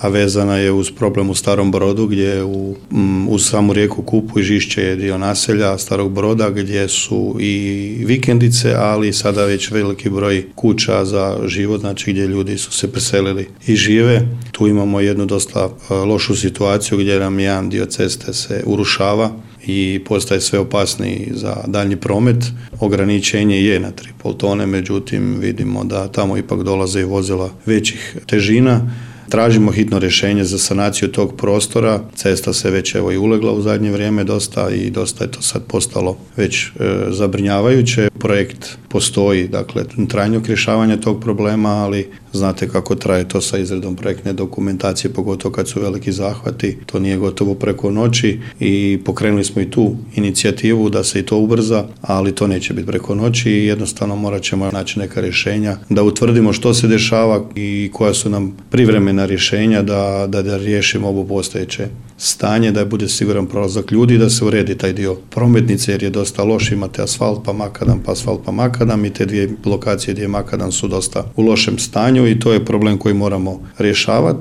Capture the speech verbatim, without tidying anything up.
a vezana je uz problem u Starom Brodu gdje u, m, uz samu rijeku Kupu i Žišće je dio naselja Starog Broda gdje su i vikendice, ali sada već veliki broj kuća za život, znači gdje ljudi su se preselili i žive. Tu imamo jednu dosta lošu situaciju gdje nam jedan dio ceste se urušava i postaje sve opasniji za daljnji promet. Ograničenje je na tri i pol tone, međutim vidimo da tamo ipak dolaze i vozila većih težina. Tražimo hitno rješenje za sanaciju tog prostora. Cesta se već evo i ulegla u zadnje vrijeme dosta i dosta je to sad postalo već e, zabrinjavajuće. Projekt postoji, dakle, trajnog rješavanja tog problema, ali znate kako traje to sa izradom projektne dokumentacije, pogotovo kad su veliki zahvati. To nije gotovo preko noći i pokrenuli smo i tu inicijativu da se i to ubrza, ali to neće biti preko noći i jednostavno morat ćemo naći neka rješenja da utvrdimo što se dešava i koja su nam privremena rješenja da, da, da riješimo ovo postojeće stanje, da bude siguran prolazak ljudi, da se uredi taj dio prometnice jer je dosta loš, imate asfalt pa makadam, pa asfalt pa makadam i te dvije lokacije gdje je makadam su dosta u lošem stanju i to je problem koji moramo rješavati.